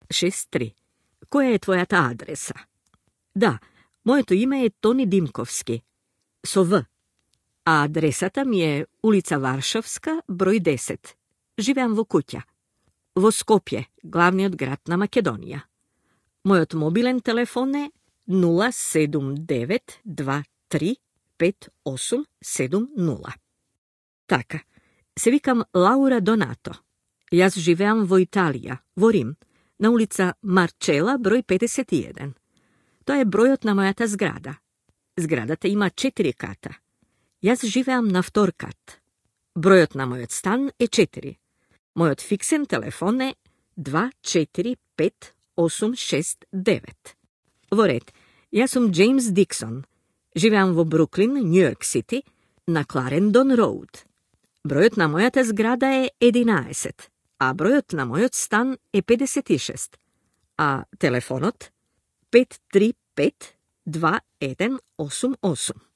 63. Која е твојата адреса? Да, моето име е Тони Димковски, со В. А адресата ми е улица Варшавска, број 10. Живеам во куќа. Во Скопје, главниот град на Македонија. Мојот мобилен телефон е 079235870. Така, се викам Лаура Донато. Јас живеам во Италија, во Рим, на улица Марчела, број 51. Тоа е бројот на мојата зграда. Зградата има 4 ката. Јас живеам на втор кат. Бројот на мојот стан е 4. Мојот фиксен телефон е 245869. Во ред, јас сум Джеймс Диксон. Живеам во Бруклин, Њујорк Сити, на Кларендон Роуд. Бројот на мојата зграда е 11, а бројот на мојот стан е 56, а телефонот 535-2188.